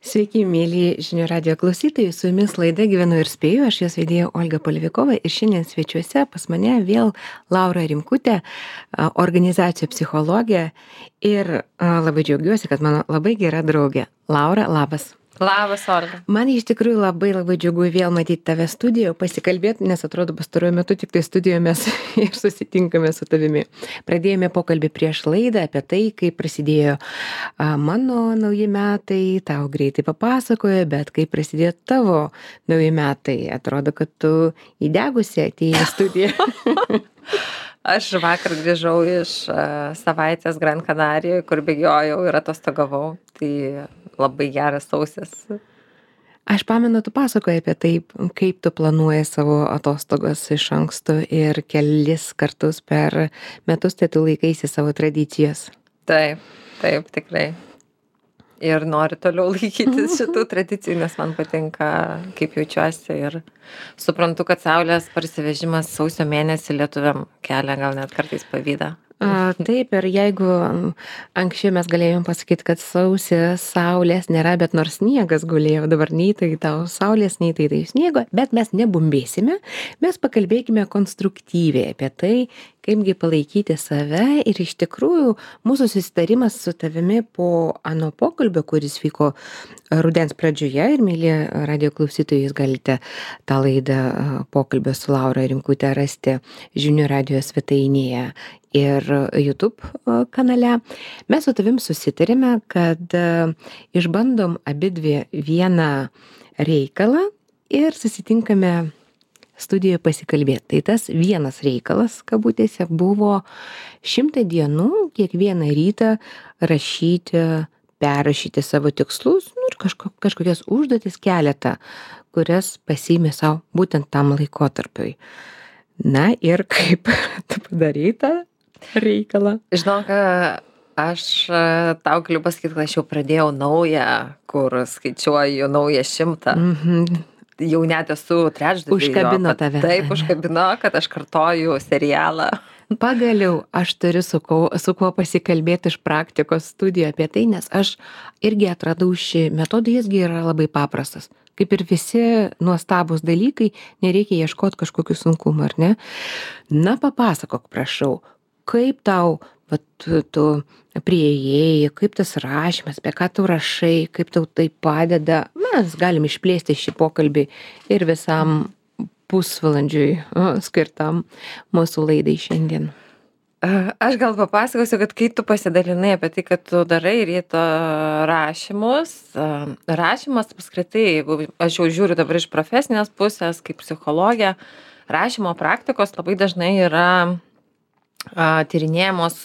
Sveiki, mėly žinių radio klausytojai, su jumis laida Gyvenu ir spėju, aš jos vedėja Olga Polivikova ir šiandien svečiuose pas mane vėl Laura Rimkutė, organizacijų psichologė ir labai džiaugiuosi, kad mano labai gera draugė. Laura, labas. Labas, Olga. Man iš tikrųjų labai džiugu vėl matyti tave studijoje, pasikalbėti, nes atrodo pastaruoju metu tik tai studijoje mes ir susitinkame su tavimi. Pradėjome pokalbį prieš laidą apie tai, kaip prasidėjo mano nauji metai, tau greitai papasakojo, bet kaip prasidėjo tavo nauji metai. Atrodo, kad tu įdegusi atėjai į studiją. Aš vakar grįžau iš savaitės Gran Canarijoje, kur bėgiojau ir atostogavau. Tai labai geras sausis. Aš pamenu, tu pasakoji apie tai, kaip tu planuoji savo atostogas iš anksto ir kelis kartus per metus tai tu laikaisi savo tradicijos. Taip, tikrai. Ir noriu toliau laikytis šitų tradicijų, nes man patinka, kaip jaučiuosi ir suprantu, kad saulės parsivežimas sausio mėnesį lietuviam kelia gal net kartais pavydą. Taip, ir jeigu anksčiau mes galėjom pasakyti, kad saulės nėra, bet nors sniegas gulėjo, dabar nei tai tau saulės, nei tai sniego, bet mes nebumbėsime, mes pakalbėkime konstruktyviai apie tai, kaipgi palaikyti save ir iš tikrųjų mūsų susitarimas su tavimi po ano pokalbio, kuris vyko rudens pradžioje ir mėly radio klausytojai, jūs galite tą laidą pokalbio su Laura Rimkutė rasti žinių radio svetainėje ir YouTube kanale. Mes su tavim susitarėme, kad išbandom abidvi vieną reikalą ir susitinkame studijoje pasikalbėti. Tai tas vienas reikalas, kabutėse, buvo 100 dienų kiekvieną rytą rašyti, perrašyti savo tikslus ir kažkokias užduotis keletą, kurias pasiėmė savo būtent tam laikotarpiui. Na ir kaip tu padarai tą reikalą? Žinok, aš tau galiu pasakyti, kad aš jau pradėjau naują, kur skaičiuoju naują 100. Jau net esu trečdalį. Užkabino tave. Taip, užkabino, kad aš kartoju serialą. Pagaliau aš turiu su kuo pasikalbėti iš praktikos studijų apie tai, nes aš irgi atradau šį metodą, jisgi yra labai paprastas. Kaip ir visi nuostabūs dalykai, nereikia ieškoti kažkokių sunkumų, ar ne? Na, papasakok, prašau, kaip tau, tu priėjai, kaip tas rašymas, apie ką tu rašai, kaip tau tai padeda. Mes galim išplėsti šį pokalbį ir visam pusvalandžiui skirtam mūsų laidai šiandien. Aš gal papasakosiu, kad kai tu pasidalinai apie tai, kad tu darai ryto rašymus, rašymas apskritai, jeigu aš jau žiūriu dabar iš profesinės pusės, kaip psichologė, rašymo praktikos labai dažnai yra tyrinėjamos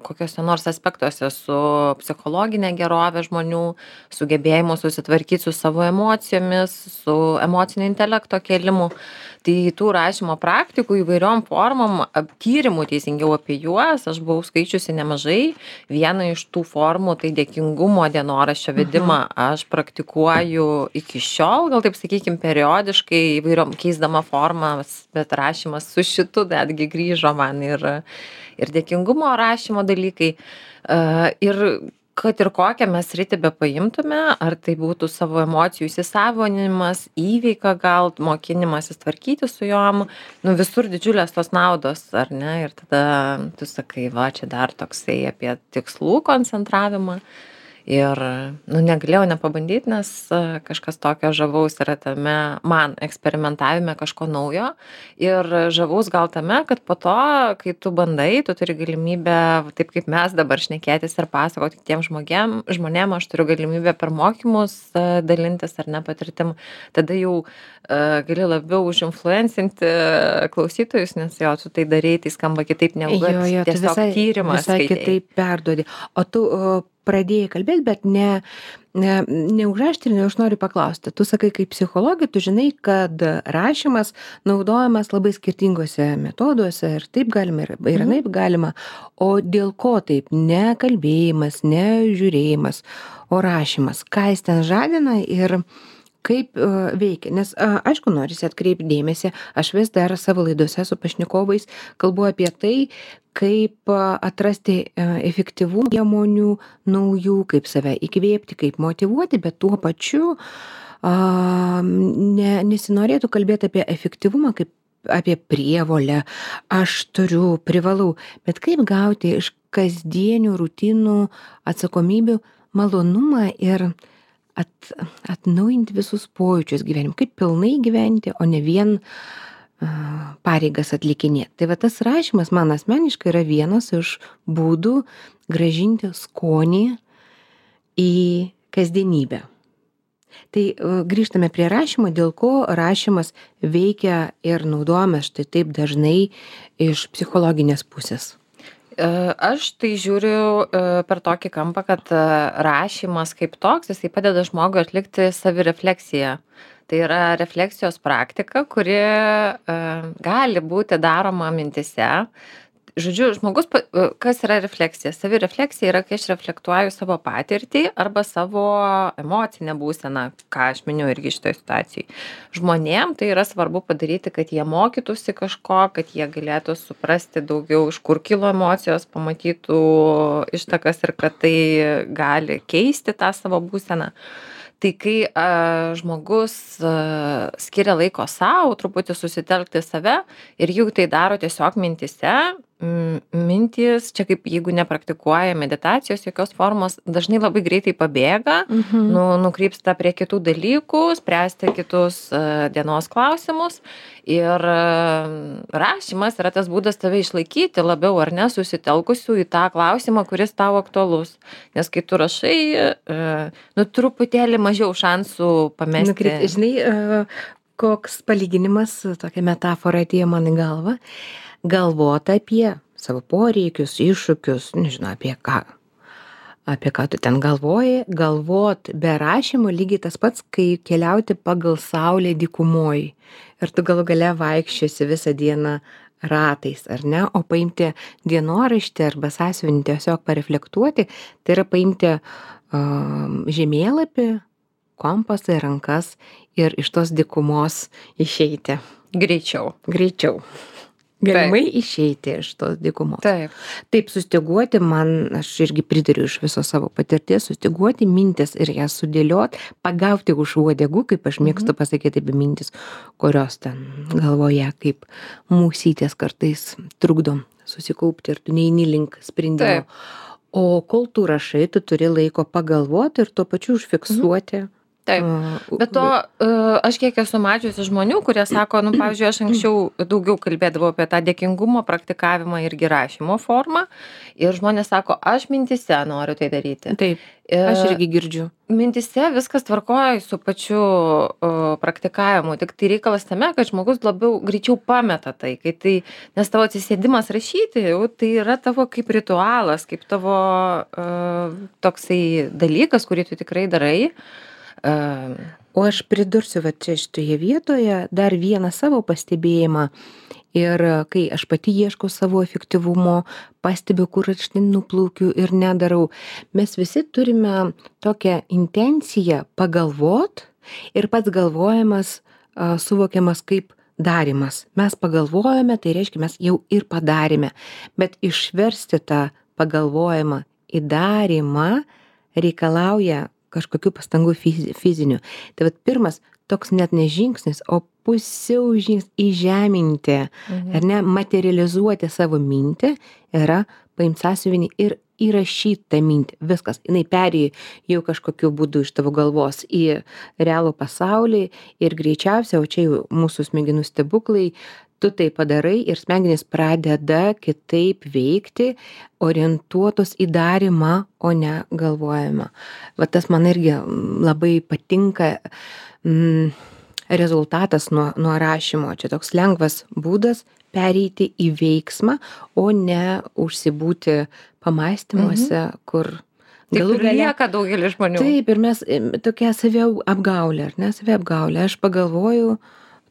kokiuose nors aspektuose su psichologinė gerovė žmonių, sugebėjimu susitvarkyti su savo emocijomis, su emocinio intelekto kėlimu. Tai tų rašymo praktikų įvairiom formom, tyrimų teisingiau apie juos, aš buvau skaičiusi nemažai. Viena iš tų formų, tai dėkingumo dienoraščio vedimą aš praktikuoju iki šiol, gal taip sakykime, periodiškai įvairiom keisdama formas, bet rašymas su šitu netgi grįžo man ir dėkingumo rašymo dalykai. Ir kad ir kokią mes sritį bepaimtume, ar tai būtų savo emocijų įsisavinimas, įveika gal, mokinimasis tvarkyti su jom, visur didžiulės tos naudos, ar ne? Ir tada tu sakai, va, čia dar toksai apie tikslų koncentravimą. Ir negalėjau nepabandyti, nes kažkas tokio žavaus yra tame man eksperimentavime kažko naujo. Ir žavaus gal tame, kad po to, kai tu bandai, tu turi galimybę, taip kaip mes dabar šnekėtis ir pasakoti kitiems žmonėm, aš turiu galimybę per mokymus dalintis ar ne patirtim. Tada jau gali labiau užinfluencinti klausytojus, nes jo, tu tai darai, tai skamba kitaip negu tiesiog tyrimas. Visai kitaip perduodi. O tu pradėjai kalbėti, bet neužrašti ir aš noriu paklausti. Tu sakai, kaip psichologė, tu žinai, kad rašymas naudojamas labai skirtingose metoduose ir taip galima, ir anaip galima. O dėl ko taip? Ne kalbėjimas, ne žiūrėjimas, o rašymas. Ką jis ten žadina ir kaip veikia, nes aišku, norisi atkreipti dėmesį, aš vis dar savo laidose su pašnekovais kalbu apie tai, kaip atrasti efektyvumų priemonių naujų, kaip save įkvėpti, kaip motyvuoti, bet tuo pačiu nesinorėtų kalbėti apie efektyvumą kaip apie prievolę, aš turiu, privalau, bet kaip gauti iš kasdienių rutinų atsakomybių malonumą ir atnaujinti visus pojūčius gyvenime, kaip pilnai gyventi, o ne vien pareigas atlikinėti. Tai va tas rašymas man asmeniškai yra vienas iš būdų grąžinti skonį į kasdienybę. Tai grįžtame prie rašymo, dėl ko rašymas veikia ir naudojamas štai taip dažnai iš psichologinės pusės. Aš tai žiūriu per tokį kampą, kad rašymas kaip toks, jisai padeda žmogui atlikti savirefleksiją. Tai yra refleksijos praktika, kuri gali būti daroma mintise. Žodžiu, žmogus, kas yra refleksija? Savirefleksija yra, kai aš reflektuoju savo patirtį arba savo emocinę būseną, ką aš miniu irgi šitoje situacijoje. Žmonėm tai yra svarbu padaryti, kad jie mokytųsi kažko, kad jie galėtų suprasti daugiau, iš kur kilo emocijos, pamatytų ištakas ir kad tai gali keisti tą savo būseną. Tai kai žmogus skiria laiko savo, truputį susitelkti save ir jau tai daro tiesiog mintise, mintys, čia kaip jeigu nepraktikuoja meditacijos jokios formos, dažnai labai greitai pabėga, nukrypsta prie kitų dalykų, spręsti kitus dienos klausimus ir rašymas yra tas būdas tave išlaikyti labiau ar ne susitelkusių į tą klausimą, kuris tau aktualus. Nes kai tu rašai, truputėlį mažiau šansų pamesti. Žinai, koks palyginimas, tokia metafora atėjo man į galvą. Galvot apie savo poreikius, iššūkius, nežinau, apie ką tu ten galvoji, galvot be rašymo lygiai tas pats, kai keliauti pagal saulę dykumoj ir tu galų gale vaikščiosi visą dieną ratais, ar ne, o paimti dienoraštį arba sąsiuvinį tiesiog pareflektuoti, tai yra paimti žemėlapį, kompasą į rankas ir iš tos dykumos išeiti. Greičiau. Galimai išeiti iš tos dykumos. Taip, sustyguoti aš irgi pritariu iš viso savo patirties, sustyguoti mintis ir jas sudėliot, pagauti už uodegų, kaip aš mėgstu pasakyti apie mintis, kurios ten galvoje kaip mūsytės kartais trukdo susikaupti ir tu neini link sprendimo. O kol tu rašai, tu turi laiko pagalvoti ir tuo pačiu užfiksuoti. Taip, bet to aš kiek esu mačiusi žmonių, kurie sako, pavyzdžiui, aš anksčiau daugiau kalbėdavau apie tą dėkingumo praktikavimą irgi rašymo formą ir žmonės sako, aš mintise noriu tai daryti. Taip, aš irgi girdžiu. Mintise viskas tvarkoja su pačiu praktikavimu, tik tai reikalas tame, kad žmogus labiau greičiau pameta tai, nes tavo atsisėdimas rašyti, jau tai yra tavo kaip ritualas, kaip tavo toksai dalykas, kurį tu tikrai darai. O aš pridursiu va čia šitoje vietoje dar vieną savo pastebėjimą ir kai aš pati ieškau savo efektyvumo, pastebiu, kur aš nuplaukiu ir nedarau. Mes visi turime tokią intenciją pagalvot ir pats galvojimas suvokiamas kaip darymas. Mes pagalvojame, tai reiškia mes jau ir padarėme, bet išversti tą pagalvojimą į darymą reikalauja kažkokių pastangų fizinių. Tai vat pirmas toks net ne žingsnis, o pusiau žingsnis įžeminti, ar ne, materializuoti savo mintį yra paimti sąsiuvinį ir įrašyti tą mintį. Viskas, jinai perėjo jau kažkokiu būdu iš tavo galvos į realų pasaulį ir greičiausiai, o čia jau mūsų smegenų stebuklai, tu tai padarai ir smegenys pradeda kitaip veikti, orientuotos į darymą, o ne galvojimą. Va tas man irgi labai patinka rezultatas nuo rašymo. Čia toks lengvas būdas pereiti į veiksmą, o ne užsibūti pamąstymuose, kur galų gale lieka daugelis žmonių. Taip, ir mes tokia saviapgaulė, ar ne, saviapgaulė. Aš pagalvoju,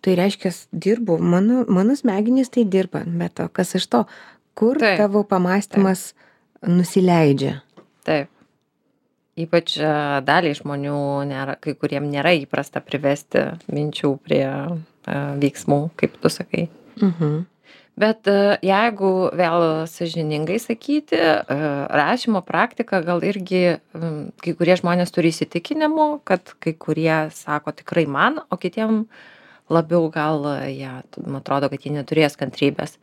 tai reiškia, dirbu, mano smegenys tai dirba, bet to, kas iš to, kur tavo pamąstymas nusileidžia. Taip. Ypač daliai žmonių nėra, kai kuriem nėra įprasta privesti minčių prie veiksmų, kaip tu sakai. Mhm. Bet jeigu vėl sąžiningai sakyti, rašymo praktika gal irgi kai kurie žmonės turi įsitikinimų, kad kai kurie sako tikrai man, o kitiem labiau gal jie, man atrodo, kad jie neturės kantrybės.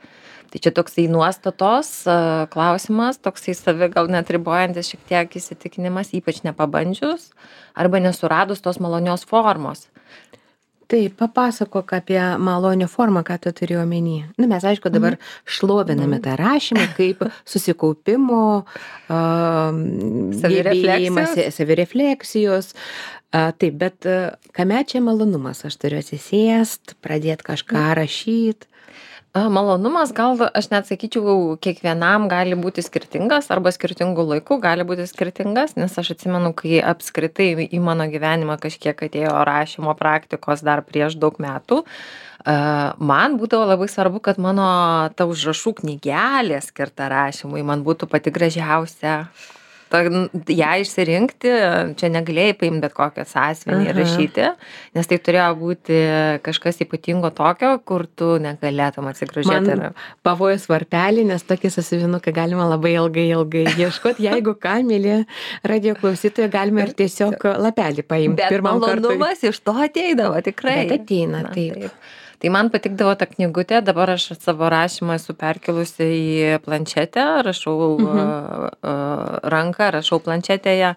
Tai čia toksai nuostatos klausimas, toksai savi gal net ribojantis šiek tiek įsitikinimas, ypač nepabandžius arba nesuradus tos malonios formos. Taip, papasakok apie malonią formą, ką tu turi omeny. Na, mes, aišku, dabar šloviname tą rašymą kaip susikaupimo, gebėjimas, savirefleksijos. Taip, bet kame čia malonumas? Aš turiu atsisėst, pradėti kažką rašyti. Malonumas gal, aš net sakyčiau, kiekvienam gali būti skirtingas arba skirtingų laikų gali būti skirtingas, nes aš atsimenu, kai apskritai į mano gyvenimą kažkiek atėjo rašymo praktikos dar prieš daug metų, man būdavo labai svarbu, kad mano ta užrašų knygelė skirta rašymui man būtų pati gražiausia. Ją išsirinkti, čia negalėjai paimti bet kokią sąsiuvinį ir rašyti, nes tai turėjo būti kažkas ypatingo tokio, kur tu negalėtum atsigrožėti. Man pavojus varpelį, nes tokį sąsiuvinuką galima labai ilgai ieškoti. Jeigu ką, mėly radijo klausytojai, galima ir tiesiog lapelį paimti. Bet malonumas iš to ateidavo, tikrai. Bet ateina, taip. Tai man patikdavo ta knygutė, dabar aš savo rašymą esu perkilusi į planšetę, rašau ranką, rašau planšetėje.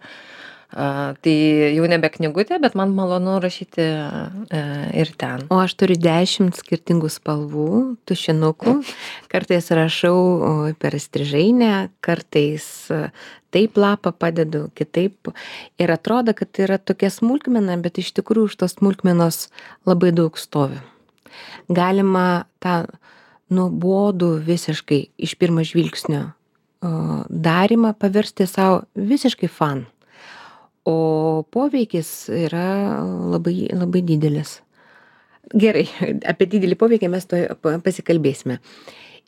Tai jau nebe knygutė, bet man malonu rašyti ir ten. O aš turiu 10 skirtingų spalvų, tušinukų. Kartais rašau per strižainę, kartais taip lapą padedu, kitaip. Ir atrodo, kad tai yra tokia smulkmena, bet iš tikrųjų už tos smulkmenos labai daug stovi. Galima tą nuobodų visiškai iš pirmo žvilgsnio darymą paversti savo visiškai fan. O poveikis yra labai, labai didelis. Gerai, apie didelį poveikį mes to pasikalbėsime.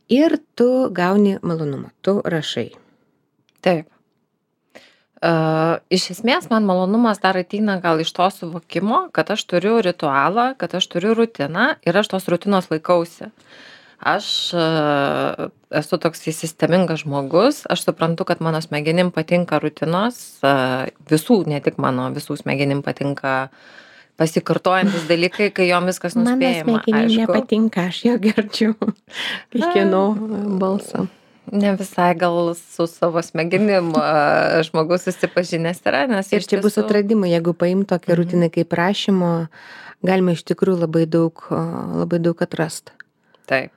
Ir tu gauni malonumą, tu rašai. Taip. Iš esmės man malonumas dar ateina gal iš to suvokimo, kad aš turiu ritualą, kad aš turiu rutiną ir aš tos rutinos laikausi. Aš esu toks sistemingas žmogus, aš suprantu, kad mano smegenim patinka rutinos, visų, ne tik mano, visų smegenim patinka pasikartojantis dalykai, kai jom viskas nuspėjama. Mano smegenim nepatinka, aš jo girdžiu kiekvieno balsą. Ne visai gal su savo smegenim žmogus susipažinęs yra, nes ir čia bus atradimai, jeigu paim tokią rutiną kaip rašymo, galima iš tikrųjų labai daug atrasti. Taip.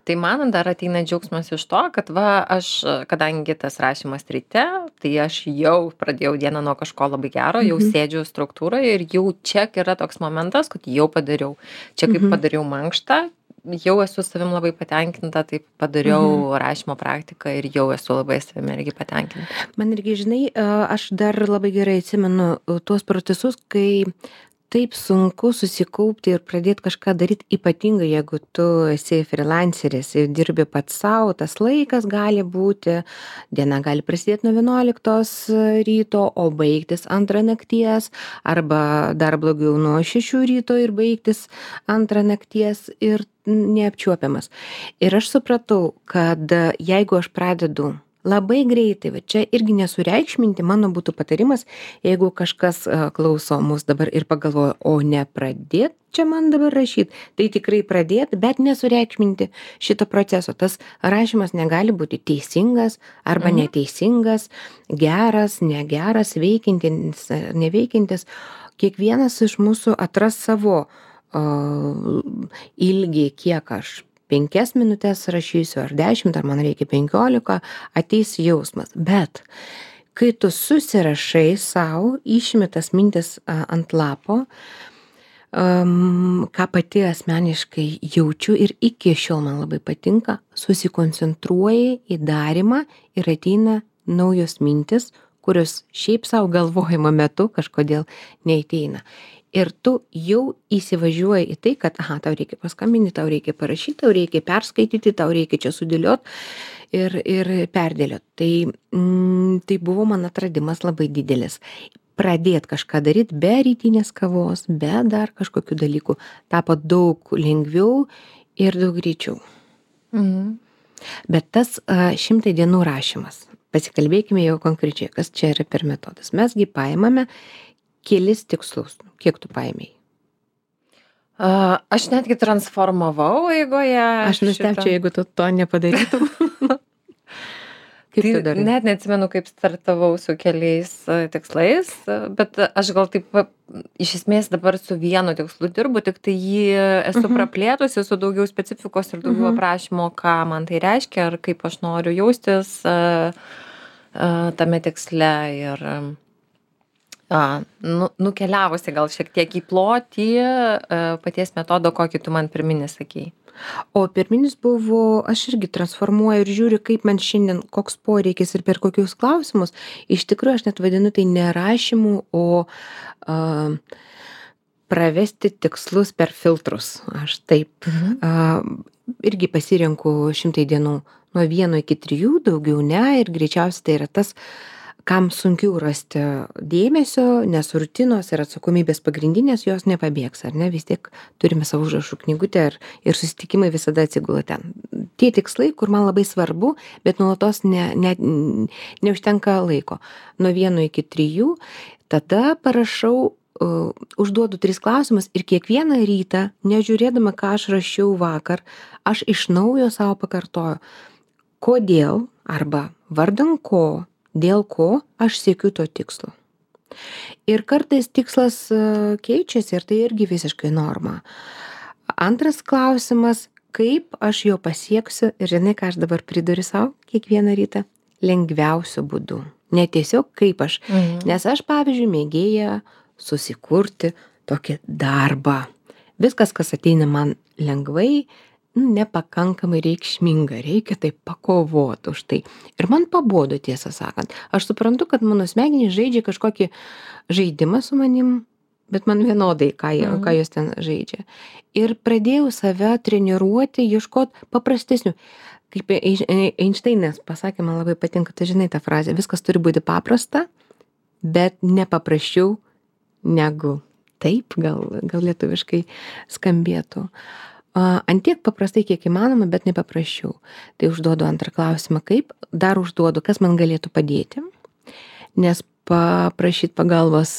Tai man dar ateina džiaugsmas iš to, kad aš, kadangi tas rašymas ryte, tai aš jau pradėjau dieną nuo kažko labai gero, jau sėdžiu struktūroje ir jau čia yra toks momentas, kad jau padariau. Čia kaip padariau mankštą, jau esu savim labai patenkinta, taip padariau rašymo praktiką ir jau esu labai savim irgi patenkinta. Man irgi, žinai, aš dar labai gerai atsimenu tuos procesus, kai taip sunku susikaupti ir pradėti kažką daryti, ypatingai jeigu tu esi freelanceris ir dirbi pats savo, tas laikas gali būti, diena gali prasidėti nuo 11 ryto, o baigtis 2 nakties, arba dar blogiau nuo 6 ryto ir baigtis 2 nakties ir neapčiuopiamas. Ir aš supratau, kad jeigu aš pradedu labai greitai, va čia irgi nesureikšminti, mano būtų patarimas, jeigu kažkas klauso mus dabar ir pagalvoja, o ne pradėt čia man dabar rašyti, tai tikrai pradėt, bet nesureikšminti šito proceso. Tas rašymas negali būti teisingas arba neteisingas, geras, negeras, veikiantis, neveikiantis. Kiekvienas iš mūsų atras savo ilgį, kiek aš 5 minutes rašysiu, ar 10, ar man reikia 15, ateis jausmas. Bet kai tu susirašai savo, išimi tas mintis ant lapo, ką pati asmeniškai jaučiu ir iki šiol man labai patinka, susikoncentruoji į darymą ir ateina naujos mintis, kurios šiaip savo galvojimo metu kažkodėl neateina. Ir tu jau įsivažiuoji į tai, kad, aha, tau reikia paskambinti, tau reikia parašyti, tau reikia perskaityti, tau reikia čia sudėliot ir perdėliot. Tai buvo man atradimas labai didelis. Pradėt kažką daryt be rytinės kavos, be dar kažkokių dalykų tapo daug lengviau ir daug greičiau. Bet tas 100 dienų rašymas, pasikalbėkime jau konkrečiai, kas čia yra per metodas. Mesgi paimame kelis tikslus. Kiek tu paėmėjai? Aš netgi transformavau eigoje. Aš nustebčiau, jeigu tu to nepadarytum. Kaip tu darai? Net neatsimenu, kaip startavau su keliais tikslais, bet aš gal taip iš esmės dabar su vienu tikslu dirbu, tik tai jį esu praplėtusi su daugiau specifikos ir daugiau aprašymo, ką man tai reiškia ir kaip aš noriu jaustis tame tiksle ir nukeliavusi gal šiek tiek į plotį paties metodo, kokį tu man pirminį sakei. O pirminis buvo, aš irgi transformuoju ir žiūriu, kaip man šiandien, koks poreikis ir per kokius klausimus. Iš tikrųjų, aš net vadinu tai nerašymu, o pravesti tikslus per filtrus. Aš taip irgi pasirenku 100 dienų nuo 1 iki 3, daugiau ne, ir greičiausiai tai yra tas, kam sunkiau rasti dėmesio, nes rutinos ir atsakomybės pagrindinės jos nepabėgs, ar ne? Vis tiek turime savo užrašų knygutę ir susitikimai visada atsigula ten. Tie tikslai, kur man labai svarbu, bet nuolatos neužtenka laiko. Nuo 1 iki 3, tada parašau, užduodu 3 klausimus ir kiekvieną rytą, nežiūrėdama, ką aš rašiau vakar, aš iš naujo savo pakartoju, kodėl arba vardan ko, dėl ko aš siekiu to tikslo. Ir kartais tikslas keičiasi ir tai irgi visiškai norma. Antras klausimas, kaip aš jo pasieksiu ir žinai, ką aš dabar priduriu savo kiekvieną rytą? Lengviausiu būdu. Ne tiesiog kaip aš. Nes aš, pavyzdžiui, mėgėja susikurti tokį darbą. Viskas, kas ateina man lengvai, nepakankamai reikšminga, reikia taip pakovoti už tai. Ir man pabodo, tiesą sakant. Aš suprantu, kad mano smegenys žaidžia kažkokį žaidimą su manim, bet man vienodai, ką jos ten žaidžia. Ir pradėjau save treniruoti, ieškoti paprastesnių. Kaip Einšteinas pasakė, man labai patinka, tai žinai tą frazę, viskas turi būti paprasta, bet nepaprasčiau negu. Taip, gal lietuviškai skambėtų. Ant tiek paprastai, kiek įmanoma, bet nepaprasčiau. Tai užduodu antrą klausimą, kaip, dar užduodu, kas man galėtų padėti, nes paprašyti pagalbos,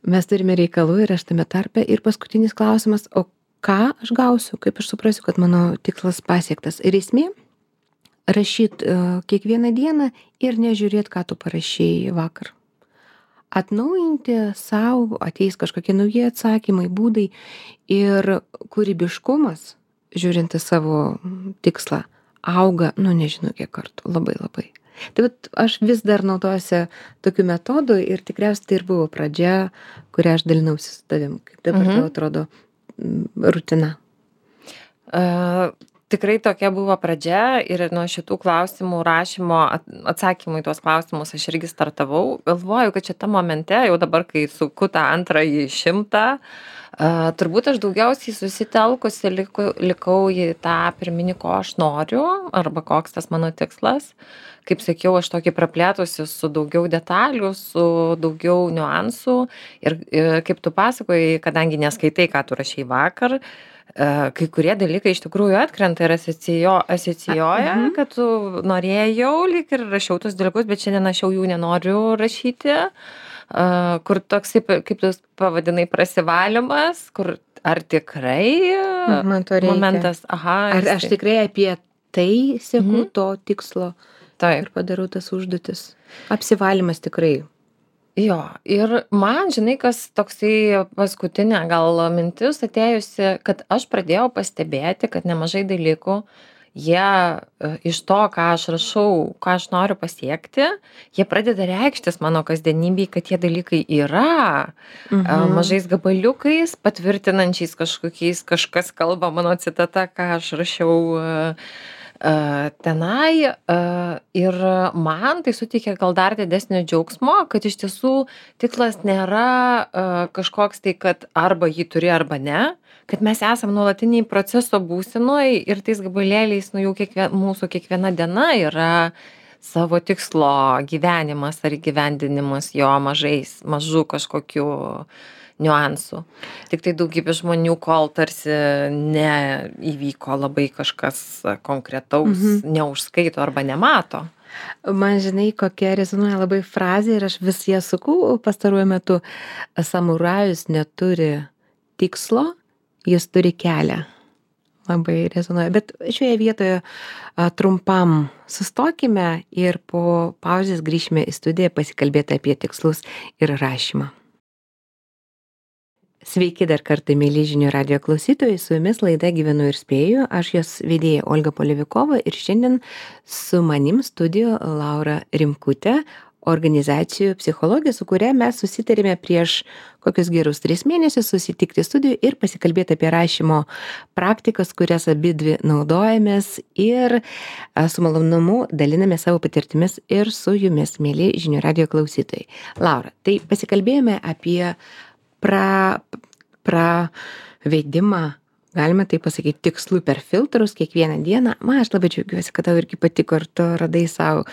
mes turime reikalų ir aš tame tarpe. Ir paskutinis klausimas, o ką aš gausiu, kaip aš suprasiu, kad mano tikslas pasiektas. Ir esmė, rašyti kiekvieną dieną ir nežiūrėti, ką tu parašėjai vakar. Atnaujinti savo, ateis kažkokie nauji atsakymai, būdai ir kūrybiškumas, žiūrint į savo tikslą, auga, nežinau kiek kartų, labai labai. Tai aš vis dar naudojuosi tokiu metodu ir tikriausiai tai ir buvo pradžia, kurią aš dalinausi su tavim. Kaip dabar tau atrodo rutina? Tikrai tokia buvo pradžia ir nuo šitų klausimų rašymo, atsakymų į tuos klausimus aš irgi startavau. Galvoju, kad šitą momente, jau dabar, kai suku tą antrąjį 100, turbūt aš daugiausiai susitelkusi likau į tą pirminį, ko aš noriu, arba koks tas mano tikslas. Kaip sakiau, aš tokį praplėtusi su daugiau detalių, su daugiau niuansų. Ir kaip tu pasakojai, kadangi neskaitai, ką tu rašei vakar, kai kurie dalykai iš tikrųjų atkrenta ir asocijuoja, kad tu norėjau, lyg ir rašiau tus dalykus, bet šiandien aš jau jų nenoriu rašyti, kur toks, kaip tu pavadinai, prasivalymas, kur ar tikrai Man to reikia. momentas, Ar aš tikrai apie tai sieku to tikslo Taip. ir padarau tas užduotis. Apsivalymas tikrai. Jo, ir man, žinai, kas toksai paskutinė gal mintis atėjusi, kad aš pradėjau pastebėti, kad nemažai dalykų, jie iš to, ką aš rašau, ką aš noriu pasiekti, jie pradeda reikštis mano kasdienybėj, kad tie dalykai yra mažais gabaliukais, patvirtinančiais kažkokiais, kažkas kalba mano citata, ką aš rašiau tenai ir man tai suteikia gal dar didesnio džiaugsmo, kad iš tiesų tikslas nėra kažkoks tai, kad arba jį turi arba ne, kad mes esam nuolatiniai proceso būsenoj ir tais gabalėliais, nu jau mūsų kiekviena diena yra savo tikslo gyvenimas ar įgyvendinimas jo mažų kažkokių niuansų. Tik tai daugybė žmonių, kol tarsi neįvyko labai kažkas konkretaus, neužskaito arba nemato. Man žinai, kokia rezonuoja labai frazė ir aš vis ją suku pastaruoju metu. Samurajus neturi tikslo, jis turi kelią. Labai rezonuoja. Bet šioje vietoje trumpam sustokime ir po pauzės grįšime į studiją pasikalbėti apie tikslus ir rašymą. Sveiki dar kartą, mėly žinių radijo klausytojai, su jumis laida Gyvenu ir spėju, aš jos vedėja Olga Polevikova ir šiandien su manim studijo Laura Rimkutė, organizacijų psichologė, su kuria mes susitarėme prieš kokius gerus 3 mėnesius susitikti studijoje ir pasikalbėti apie rašymo praktikas, kurias abidvi naudojamės ir su malonumu daliname savo patirtimis ir su jumis, mėly žinių radijo klausytojai. Laura, tai pasikalbėjome apie pravedimą, galima tai pasakyti, tikslų per filtrus kiekvieną dieną. Aš labai džiaugiuosi, kad tau irgi patiko ir tu radai savo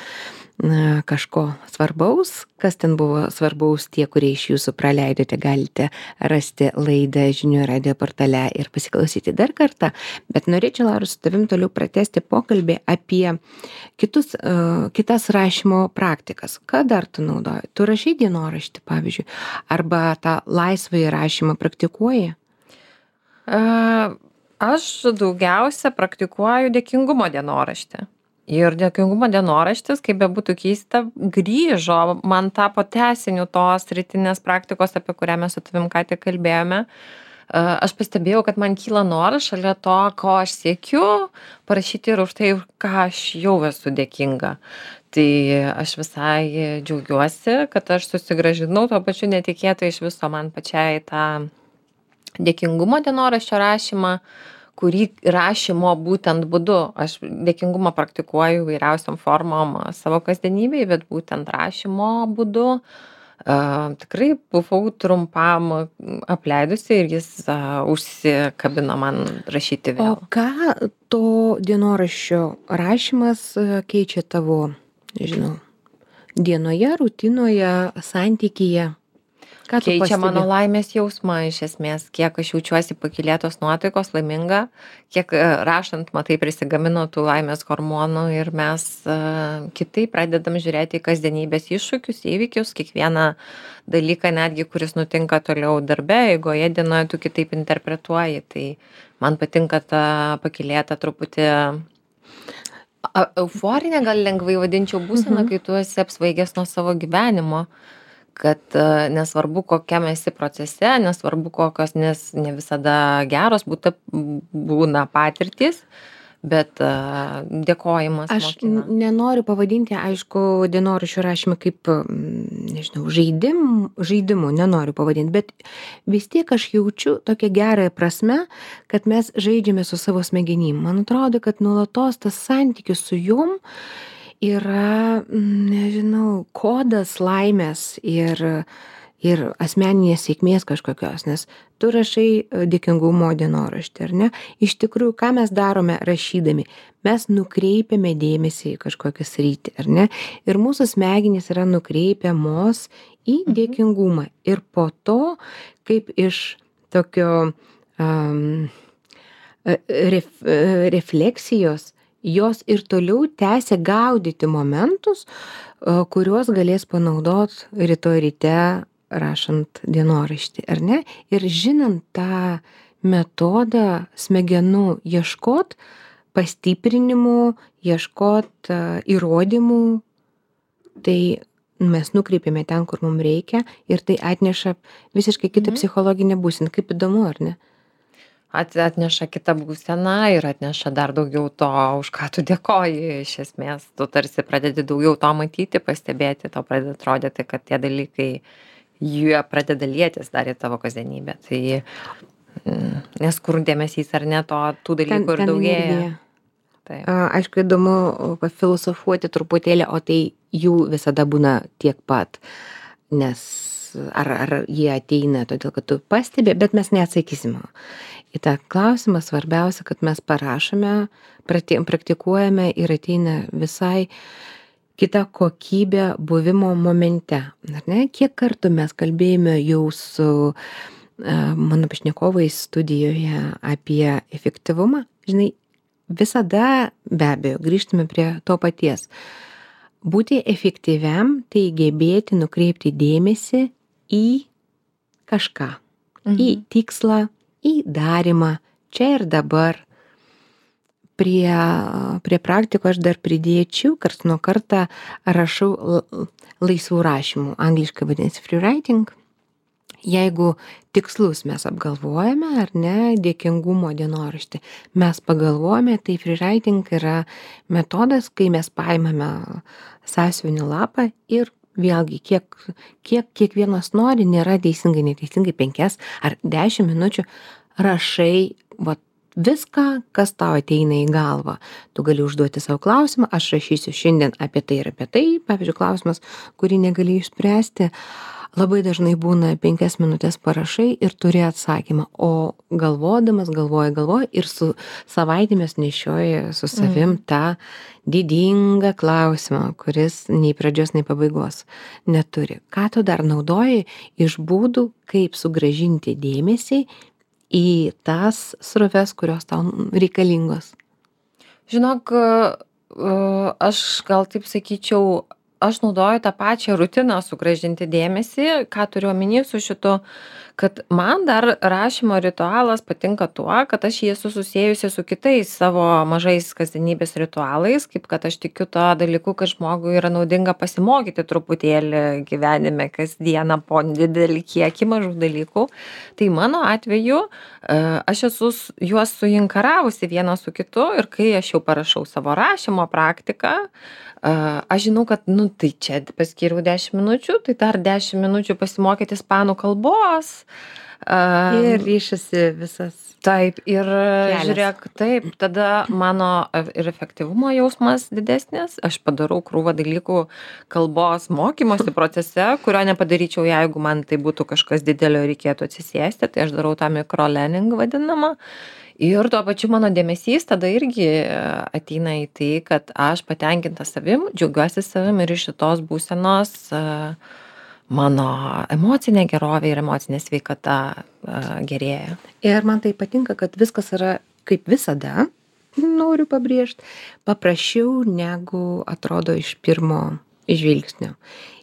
kažko svarbaus. Kas ten buvo svarbaus, tie, kurie iš jūsų praleidote, galite rasti laidą žinių radijo portale ir pasiklausyti dar kartą. Bet norėčiau, Laura, su tavim toliau pratęsti pokalbį apie kitas rašymo praktikas. Ką dar tu naudoji? Tu rašai dienoraštį, pavyzdžiui, arba tą laisvąjį rašymą praktikuoji? Aš daugiausia praktikuoju dėkingumo dienoraštį. Ir dėkingumo dienoraštis, kaip bebūtų keista, grįžo, man tapo tęsiniu tos rytinės praktikos, apie kurią mes su tavim ką tik kalbėjome. Aš pastebėjau, kad man kyla noras šalia to, ko aš siekiu, parašyti ir už tai, ką aš jau esu dėkinga. Tai aš visai džiaugiuosi, kad aš susigrąžinau tuo pačiu netikėtai iš viso man pačiai tą dėkingumo dienoraščio rašymą, kurį rašymo būtent būdu. Aš dėkingumą praktikuoju įvairiausiom formom savo kasdienybėje, bet būtent rašymo būdu tikrai buvau trumpam apleidusi ir jis užsikabino man rašyti vėl. O ką to dienoraščio rašymas keičia tavo, nežinau, dienoje, rutinoje, santykyje? Keičia mano laimės jausmą iš esmės, kiek aš jaučiuosi pakylėtos nuotaikos, laiminga, kiek rašant, matai, prisigamino tų laimės hormonų ir mes kitaip pradedam žiūrėti į kasdienybės iššūkius, įvykius, kiekvieną dalyką netgi, kuris nutinka toliau darbe, eigoje dienoje tu kitaip interpretuoji. Tai man patinka ta pakylėta truputį euforinė, gal lengvai vadinčiau būseną, kai tu esi apsvaigęs nuo savo gyvenimo. Kad nesvarbu, kokiam esi procese, nesvarbu, kokios ne visada geros būna patirtys, bet dėkojimas Aš mokina. nenoriu pavadinti, aišku, dienoraščių rašymą kaip, nežinau, žaidimu nenoriu pavadinti, bet vis tiek aš jaučiu tokią gerąją prasme, kad mes žaidžiame su savo smegenim. Man atrodo, kad nuolatos tas santykis su jom yra, nežinau, kodas laimės ir asmeninės sėkmės kažkokios, nes tu rašai dėkingumo dienoraštį, ar ne? Iš tikrųjų, ką mes darome rašydami? Mes nukreipiame dėmesį į kažkokią sritį, ar ne? Ir mūsų smegenys yra nukreipiamos į dėkingumą. Ir po to, kaip iš tokio refleksijos, jos ir toliau tęsia gaudyti momentus, kuriuos galės panaudot rytoj ryte rašant dienoraštį, ar ne? Ir žinant tą metodą smegenų ieškot pastiprinimų, ieškot įrodymų, tai mes nukreipiame ten, kur mums reikia ir tai atneša visiškai kitą psichologinę būseną. Kaip įdomu, ar ne? Atneša kitą būseną ir atneša dar daugiau to, už ką tu dėkoji iš esmės. Tu tarsi pradedi daugiau to matyti, pastebėti, tau pradeda atrodyti, kad tie dalykai, jie pradeda lietis dar į tavo kasdienybę. Tai nes kur dėmesys ar ne, tų dalykų ir daugėja. taip. Aišku, įdomu pafilosofuoti truputėlį, o tai jų visada būna tiek pat, nes ar jie ateina todėl, kad tu pastebi, bet mes neatsakysim į tą klausimą. Svarbiausia, kad mes parašome, praktikuojame ir ateina visai kita kokybė buvimo momente. Ar ne? Kiek kartų mes kalbėjome jau su mano pašnekovais studijoje apie efektyvumą, žinai, visada be abejo grįžtame prie to paties. Būti efektyviam tai gebėti nukreipti dėmesį į kažką, į tikslą, į darymą, čia ir dabar. Prie praktikų aš dar pridėčiau, karts nuo kartą rašau laisvų rašymų, angliškai vadinasi free writing. Jeigu tikslus mes apgalvojame, ar ne, dėkingumo dienoraštį, mes pagalvojame, tai free writing yra metodas, kai mes paimame sąsiuvinį lapą ir vėlgi, kiek kiekvienas nori, nėra teisingai, neteisingai 5 ar 10 minučių rašai viską, kas tau ateina į galvą. Tu gali užduoti savo klausimą, aš rašysiu šiandien apie tai ir apie tai, pavyzdžiui, klausimas, kurį negali išspręsti. Labai dažnai būna 5 minutės parašai ir turi atsakymą, o galvoji ir su savaitėmis nešioji su savim tą didingą klausimą, kuris nei pradžios, nei pabaigos neturi. Ką tu dar naudoji iš būdų, kaip sugrąžinti dėmesį į tas sroves, kurios tau reikalingos? Žinok, aš gal taip sakyčiau, aš naudoju tą pačią rutiną sugrąžinti dėmesį. Ką turiu omeny su šitu, kad man dar rašymo ritualas patinka tuo, kad aš jį esu susiejusi su kitais savo mažais kasdienybės ritualais, kaip kad aš tikiu to dalyku, kad žmogui yra naudinga pasimokyti truputėlį gyvenime kasdieną po didelį kiekį mažų dalykų. Tai mano atveju aš esu juos suinkaravusi vieną su kitu ir kai aš jau parašau savo rašymo praktiką, aš žinau, kad, tai čia paskyriau 10 minučių, tai dar 10 minučių pasimokyti ispanų kalbos. Ir ryšasi visas. Taip, ir žiūrėk, taip, tada mano ir efektyvumo jausmas didesnis, aš padarau krūvą dalykų kalbos mokymosi procese, kurio nepadaryčiau, jeigu man tai būtų kažkas didelio reikėtų atsisėsti, tai aš darau tą microlearning vadinamą. Ir tuo pačiu mano dėmesys tada irgi ateina į tai, kad aš patenkinta savim, džiaugiuosi savim ir iš šitos būsenos mano emocinė gerovė ir emocinė sveikata gerėja. Ir man tai patinka, kad viskas yra kaip visada, noriu pabrėžti, paprasčiau negu atrodo iš pirmo žvilgsnio.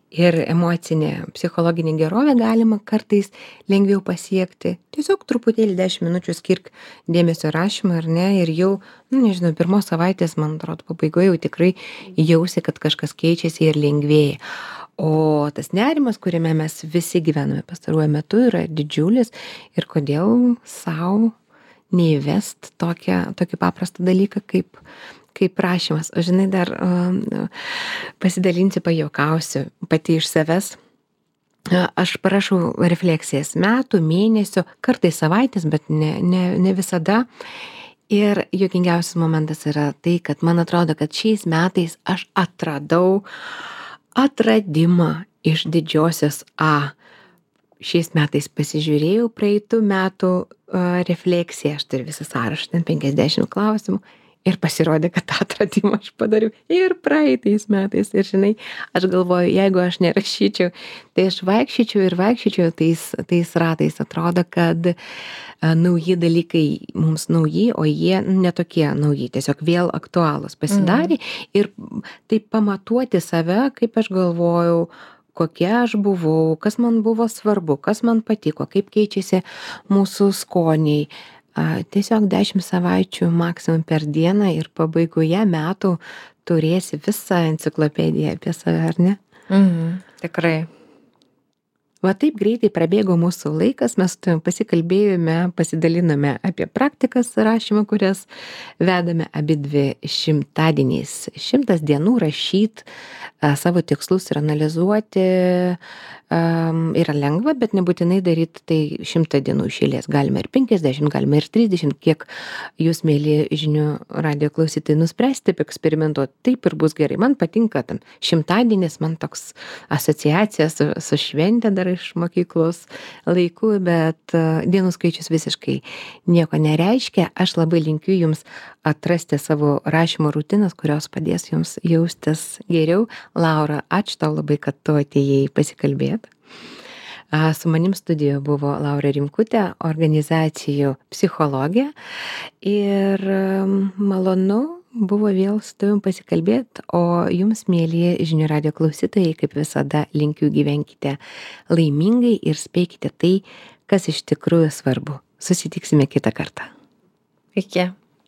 Ir emocinė, psichologinė gerovė galima kartais lengviau pasiekti. Tiesiog truputėlį 10 minučių skirk dėmesio rašymą, ar ne, ir jau, nežinau, pirmos savaitės, man atrodo, pabaigoje jau tikrai jausi, kad kažkas keičiasi ir lengvėja. O tas nerimas, kuriame mes visi gyvename pastaruoju metu, yra didžiulis ir kodėl sau neįvest tokį paprastą dalyką kaip rašymas. O žinai, dar pasidalinsiu, pajuokausiu pati iš savęs. Aš parašau refleksijas metų, mėnesio, kartais savaitės, bet ne visada. Ir juokingiausias momentas yra tai, kad man atrodo, kad šiais metais aš atradau atradimą iš didžiosios A. Šiais metais pasižiūrėjau praeitų metų refleksiją, aš turiu visą sąrašą, ten 50 klausimų. Ir pasirodė, kad tą atradimą aš padariau ir praeitais metais. Ir žinai, aš galvoju, jeigu aš nerašyčiau, tai aš vaikščiočiau tais ratais. Atrodo, kad nauji dalykai mums nauji, o jie netokie nauji, tiesiog vėl aktualūs pasidarė. Ir taip pamatuoti save, kaip aš galvojau, kokia aš buvau, kas man buvo svarbu, kas man patiko, kaip keičiasi mūsų skoniai. Tiesiog 10 savaičių maksimum per dieną ir pabaigoje metų turėsi visą enciklopediją apie save, ar ne? Tikrai. Va taip greitai prabėgo mūsų laikas, mes su tavim pasikalbėjome, pasidalinome apie praktikas rašymo, kurias vedame abidvi šimtadieniais. 100 dienų rašyt savo tikslus ir analizuoti yra lengva, bet nebūtinai daryti tai 100 dienų iš eilės. Galime ir 50, galime ir 30, kiek jūs, mėly žinių radijo klausytojai, nuspręsite eksperimentuoti. Taip ir bus gerai. Man patinka tam šimtadienis, man toks asociacija su šventė dar iš mokyklos laikų, bet dienų skaičius visiškai nieko nereiškia. Aš labai linkiu jums atrasti savo rašymo rutinas, kurios padės jums jaustis geriau. Laura, ačiū tau labai, kad tu atėjai pasikalbėti. Su manim studijoje buvo Laura Rimkutė, organizacijų psichologė, ir malonu buvo vėl su tavim pasikalbėti, o jums, mėly žinių radijo klausytojai, kaip visada linkiu, gyvenkite laimingai ir spėkite tai, kas iš tikrųjų svarbu. Susitiksime kitą kartą. Iki.